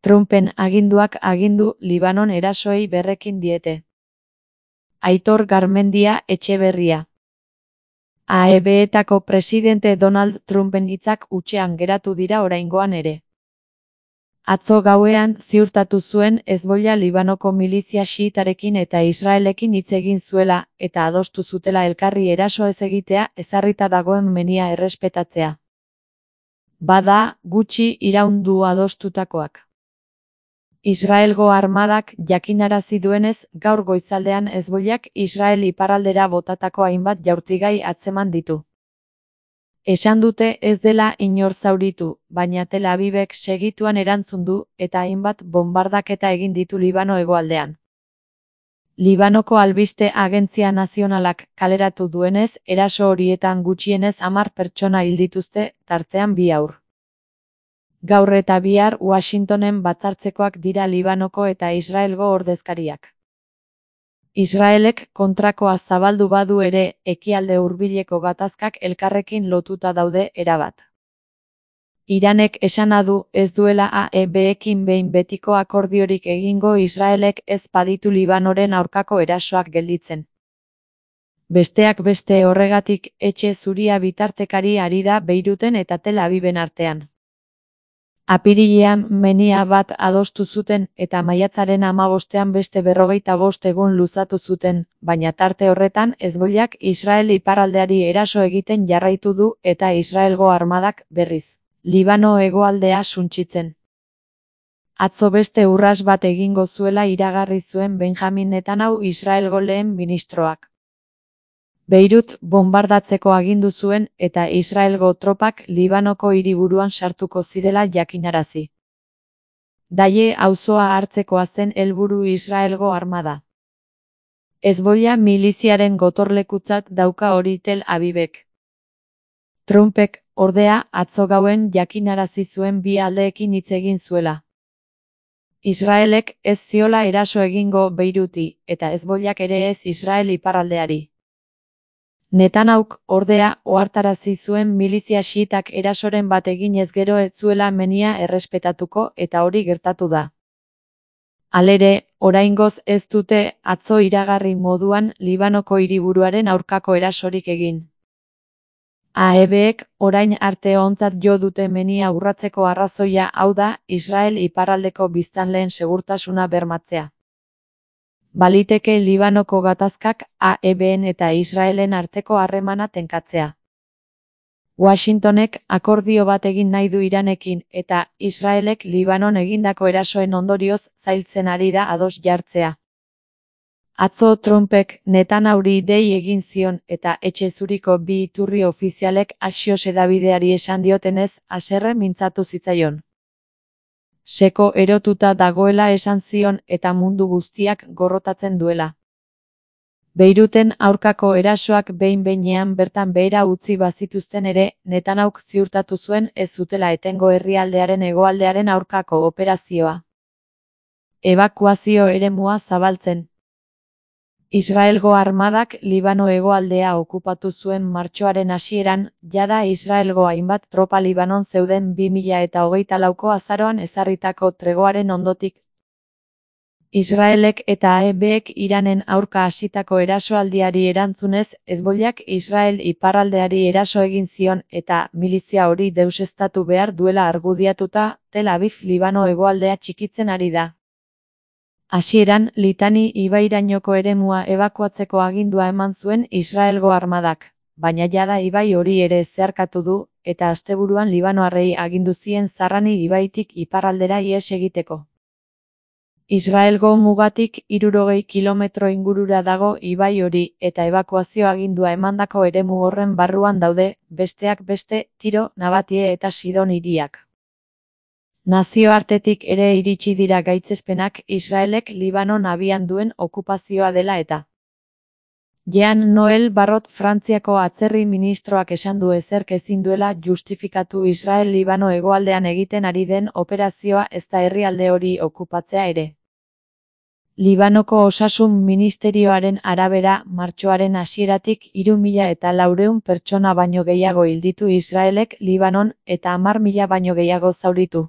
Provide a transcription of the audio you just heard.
Trumpen aginduak agindu Libanon erasoei berrekin diete. Aitor Garmendia Etxeberria. AEB-etako presidente Donald Trumpen hitzak hutsean geratu dira oraingoan ere. Atzo gauean ziurtatu zuen Hezbollah Libanoko milizia xiitarekin eta Israelekin hitz egin zuela eta adostu zutela elkarri eraso ez egitea ezarrita dagoen menia errespetatzea. Bada, gutxi iraun du adostutakoak. Israelgo armadak jakinarazi duenez, gaur goizaldean Hezbollak Israel iparraldera botatako hainbat jaurtigai atzeman ditu. Esan dute ez dela inor zauritu, baina Tel Avivek segituan erantzun du eta hainbat bonbardaketa egin ditu Libano hegoaldean. Libanoko albiste agentzia nazionalak kaleratu duenez, eraso horietan gutxienez 10 pertsona hil dituzte, tartean 2 haur. Gaur eta bihar Washingtonen batzartzekoak dira Libanoko eta Israelgo ordezkariak. Israelek kontrakoa zabaldu badu ere, ekialde hurbileko gatazkak elkarrekin lotuta daude erabat. Iranek esana du ez duela AEB-ekin behin betiko akordiorik egingo Israelek ez baditu Libanoren aurkako erasoak gelditzen. Besteak beste horregatik Etxe Zuria bitartekari ari da Beiruten eta Tel Aviven artean. Apirilean menia bat adostu zuten eta maiatzaren 15ean beste 45 egun luzatu zuten, baina tarte horretan Hezbollak Israel iparraldeari eraso egiten jarraitu du eta Israelgo armadak, berriz, Libano hegoaldea suntsitzen. Atzo beste urras bat egingo zuela iragarri zuen Benjamin Netanyahu Israelgo lehen ministroak. Beirut bonbardatzeko agindu zuen eta Israelgo tropak Libanoko hiriburuan sartuko zirela jakinarazi. Daie auzoa hartzekoa zen helburu Israelgo armada. Hezbollah miliziaren gotorlekutzat dauka hori Tel Avivek. Trumpek, ordea, atzo gauen jakinarazi zuen bi aldeekin hitz egin zuela. Israelek ez ziola eraso egingo Beiruti eta Hezbollak ere ez Israel iparraldeari. Netanyahuk, ordea, ohartarazi zuen milizia xiitak erasoren bat eginez gero ez zuela menia errespetatuko eta hori gertatu da. Halere, oraingoz ez dute atzo iragarri moduan Libanoko hiriburuaren aurkako erasorik egin. AEB-ek orain arte ontzat jo dute menia urratzeko arrazoia hau da Israel iparraldeko biztanleen segurtasuna bermatzea. Baliteke Libanoko gatazkak AEB-en eta Israelen arteko harremana tenkatzea. Washingtonek akordio bat egin nahi du Iranekin eta Israelek Libanon egindako erasoen ondorioz zailtzen ari da ados jartzea. Atzo Trumpek Netanyahuri dei egin zion eta Etxe Zuriko bi iturri ofizialek Axios hedabideari esan diotenez haserre mintzatu zitzaion. Seko erotuta dagoela esan zion eta mundu guztiak gorrotatzen duela. Beiruten aurkako erasoak behin-behinean bertan behera utzi bazituzten ere, Netanyahuk ziurtatu zuen ez zutela etengo herrialdearen hegoaldearen aurkako operazioa. Ebakuazio eremua zabaltzen. Israelgo armadak Libano hegoaldea okupatu zuen martxoaren hasieran, jada Israelgo hainbat tropa Libanon zeuden 2024ko azaroan ezarritako tregoaren ondotik. Israelek eta AEB-ek Iranen aurka hasitako erasoaldiari erantzunez, Hezbollak Israel iparraldeari eraso egin zion eta milizia hori deuseztatu behar duela argudiatuta, Tel Aviv Libano hegoaldea txikitzen ari da. Hasieran, Litani ibairainoko eremua ebakuatzeko agindua eman zuen Israelgo armadak, baina jada ibai hori ere zeharkatu du, eta asteburuan Libanoarrei agindu zien Zarrani ibaitik iparraldera ihes egiteko. Israelgo mugatik 60 kilometro ingurura dago ibai hori eta ebakuazio agindua emandako eremu horren barruan daude, besteak beste, Tiro, Nabatie eta Sidon hiriak. Nazioartetik ere iritsi dira gaitzespenak Israelek Libanon abian duen okupazioa dela eta. Jean Noel Barrot Frantziako atzerri ministroak esan du ezerk ezin duela justifikatu Israel Libano hegoaldean egiten ari den operazioa ezta herrialde hori okupatzea ere. Libanoko osasun ministerioaren arabera, martxoaren hasieratik 3.400 pertsona baino gehiago hil ditu Israelek Libanon eta 10.000 baino gehiago zauritu.